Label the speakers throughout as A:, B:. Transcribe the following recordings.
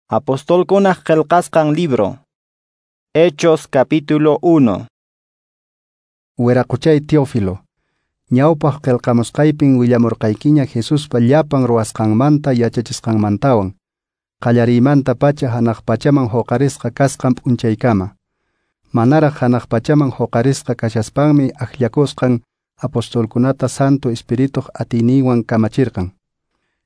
A: Apostolkunaq qillqasqan libro. Hechos capítulo 1.
B: Wiraquchay Teófilo, ñawpaq qillqamusqaypin willamurqaykiña Jesuspa llapan ruwasqanmanta yachachisqanmantawan, qallariymanta pacha hanaq pachaman huqarisqa kasqan p'unchaykama. Manaraq hanaq pachaman huqarisqa kashaspanmi akllakusqan apostolkunata Santo Espirituq atiyninwan kamachirqan.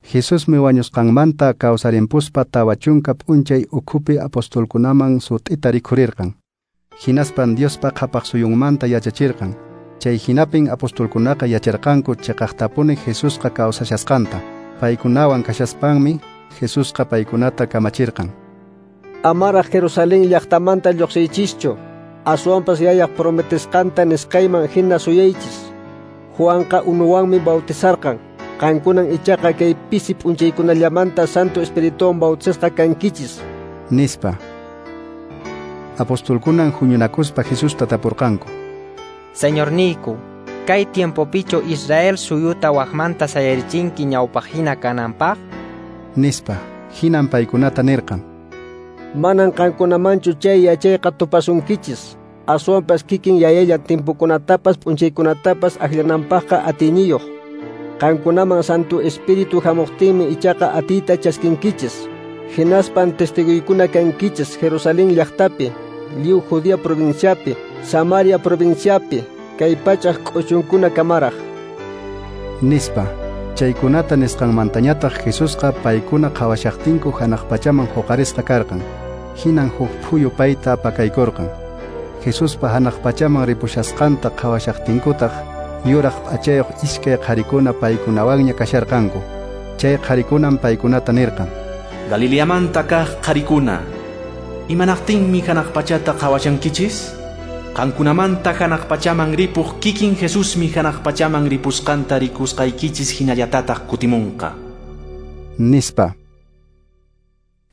B: Jesusmi wañusqanmanta kawsarimpuspa 40 p'unchay ukhupi apostolkunaman sut'ita rikhurirqan. Hinaspan Diospa qhapaq suyunmanta yachachirqan. Chay hinapin apostolkunaqa yacharqanku chiqaqtapuni Jesusqa kawsashasqanta. Paykunawan kashaspanmi Jesusqa paykunata kamachirqan.
C: Amaraq Jerusalén llaqtamanta lluqsiychischu, aswanpas yayaq prometesqanta nisqayman hina suyaychis. Juanqa unuwanmi bautizarqan. Qankunan ichaqa kay pisi p'unchaykunallamanta Santo Espirituwan bautizasqa kankichis.
B: Nispa. Apostolkunan huñunakuspa Jesusta tapurqanku.
D: Señorniyku, kay tiempopichu Israel suyuta waqmanta sayarichinki ñawpaqhina kananpaq?
B: Nispa. Hinan paykunata nirqan.
C: Manan qankunamanchu chay yachayqa tupasunkichis. Aswanpas kikin yayalla timpukunatapas p'unchaykunatapas akllananpaqqa atiyniyuq. Qankunaman Santo Espíritu hamuqtinmi ichaqa atiyta chaskinkichis. Hinaspan testiguykuna kankichis Jerusalén llaqtapi, lliw Judea provinciapi, Samaria provinciapi, kay pachaq k'uchunkuna kamaraq.
B: Nispa. Chaykunata nisqanmantañataq Jesusqa paykuna qhawashaqtinku hanaq pachaman huqarisqa karqan. Hinan huk phuyu payta pakaykurqan. Jesuspa hanaq pachaman ripushasqanta qhawashaqtinkutaq yuraq p'achayuq iskay qharikuna paykunawanña kasharqanku. Chay qharikunan paykunata nirqan.
E: Galileamanta kaq qharikuna, imanaqtinmi hanaq pachata qhawashankichis? Qankunamanta hanaq pachaman ripuq kikin Jesusmi hanaq pachaman ripusqanta rikusqaykichis hinallatataq kutimunqa.
B: Nispa.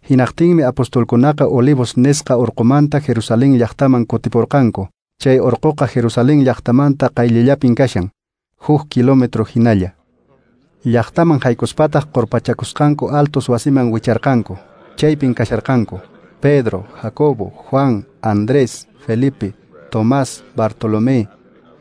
B: Hinaqtinmi apostolkunaqa Olivos nisqa urqumanta Jerusalén llaqtaman kutipurqanku. Chay urquqa Jerusalén llaqtamanta qayllallapin kashan, 1 kilómetro hinalla. Llaqtaman haykuspataq qurpachakusqanku altos wasiman wicharqanku. Chaypin kasharqanku Pedro, Jacobo, Juan, Andrés, Felipe, Tomás, Bartolomé,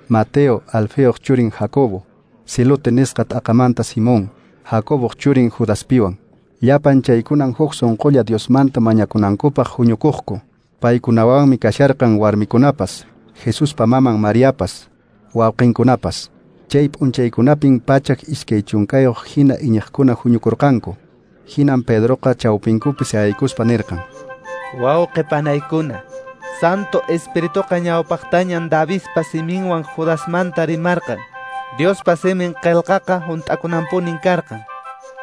B: Mateo, Alfeoq churin Jacobo, Silote nisqa t'aqamanta Simón, Jacoboq churin Judaspiwan. Llapan chaykunan huk sunqulla Diosmanta mañakunankupaq huñukuqku. Paykunawanmi kasharqan warmikunapas, Jesuspa maman Mariapas, wawqinkunapas. Chay p'unchaykunapin 120 hina iñiqkuna huñukurqanku. Hinan Pedroqa chawpinkupi sayaykuspa nirqan.
F: Wawqi panaykuna, Santo Espirituqa ñawpaqtañan Davidpa siminwan Judasmanta rimarqan. Diospa simin qillqaqa hunt'akunanpunin karqan.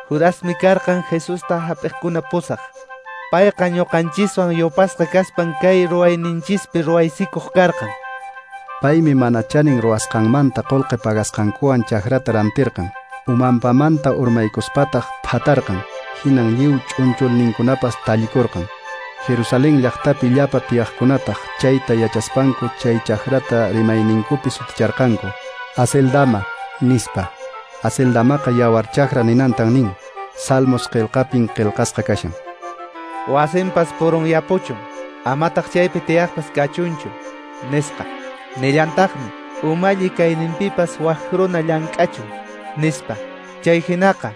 F: Judasmi karqan Jesusta hap'iqkuna pusaq. Payqa ñuqanchiswan yupasqa kaspan kay ruwayninchispi ruwaysikuq karqan.
B: Paymi mana chanin ruwasqanmanta qullqi pagasqankuwan chakrata rantirqan. Umanpamanta urmaykuspataq phatarqan. Hinan lliw ch'unchulninkunapas tallikurqan. Jerusalén llaqtapi llapa tiyaqkunataq chayta yachaspanku chay chakrata rimayninkupi suticharqanku. Aceldama, nispa. Aceldamaqa yawar chakra ninantan nin. Salmos qillqapin qillqasqa kashan.
F: Wasinpas purunyapuchun, amataq chaypi tiyaqpas kachunchu, nisqa. Nillantaqmi, umalli kayninpipas wak runa llank'achun, nispa. Chay hinaqa,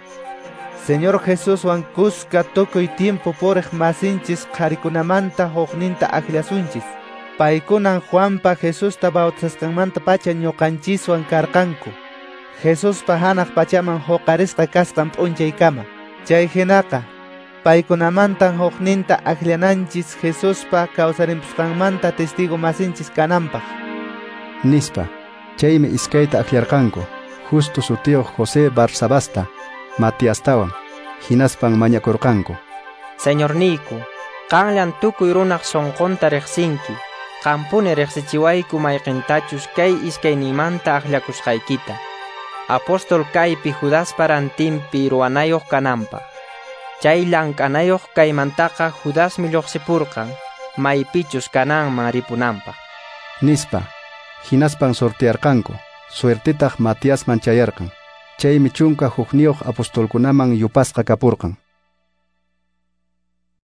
F: Señor Jesuswan kuska tukuy tiempo puriq masinchis qharikunamanta hukninta akllasunchis. Paykunan Juanpa Jesusta bautizasqanmanta pacha ñuqanchiswan karqanku. Jesuspa hanaq pachaman huqarisqa kasqan p'unchaykama. Chay hinaqa, paykunamantan hukninta akllananchis Jesuspa kawsarimpusqanmanta testigo masinchis kananpaq.
B: Nispa. Chaymi iskayta akllarqanku, Justo sutiyuq José Barsabasta, Matiastawan. Hinaspan mañakurqanku.
D: Señorniyku, qanllan tukuy runaq sunqunta riqsinki. Qampuni riqsichiwayku mayqintachus kay iskaynimanta akllakusqaykita. Apóstol kaypi Judaspa rantinpi ruwanayuq kananpaq. Chay llank'anayuq kaymantaqa Judasmi lluqsipurqan, maypichus kananman ripunanpaq.
B: Nispa. Hinaspan sortearqanku. Suertetaq Matiasman chayarqan. Chaymi 11 apostolkunaman yupasqa kapurqan.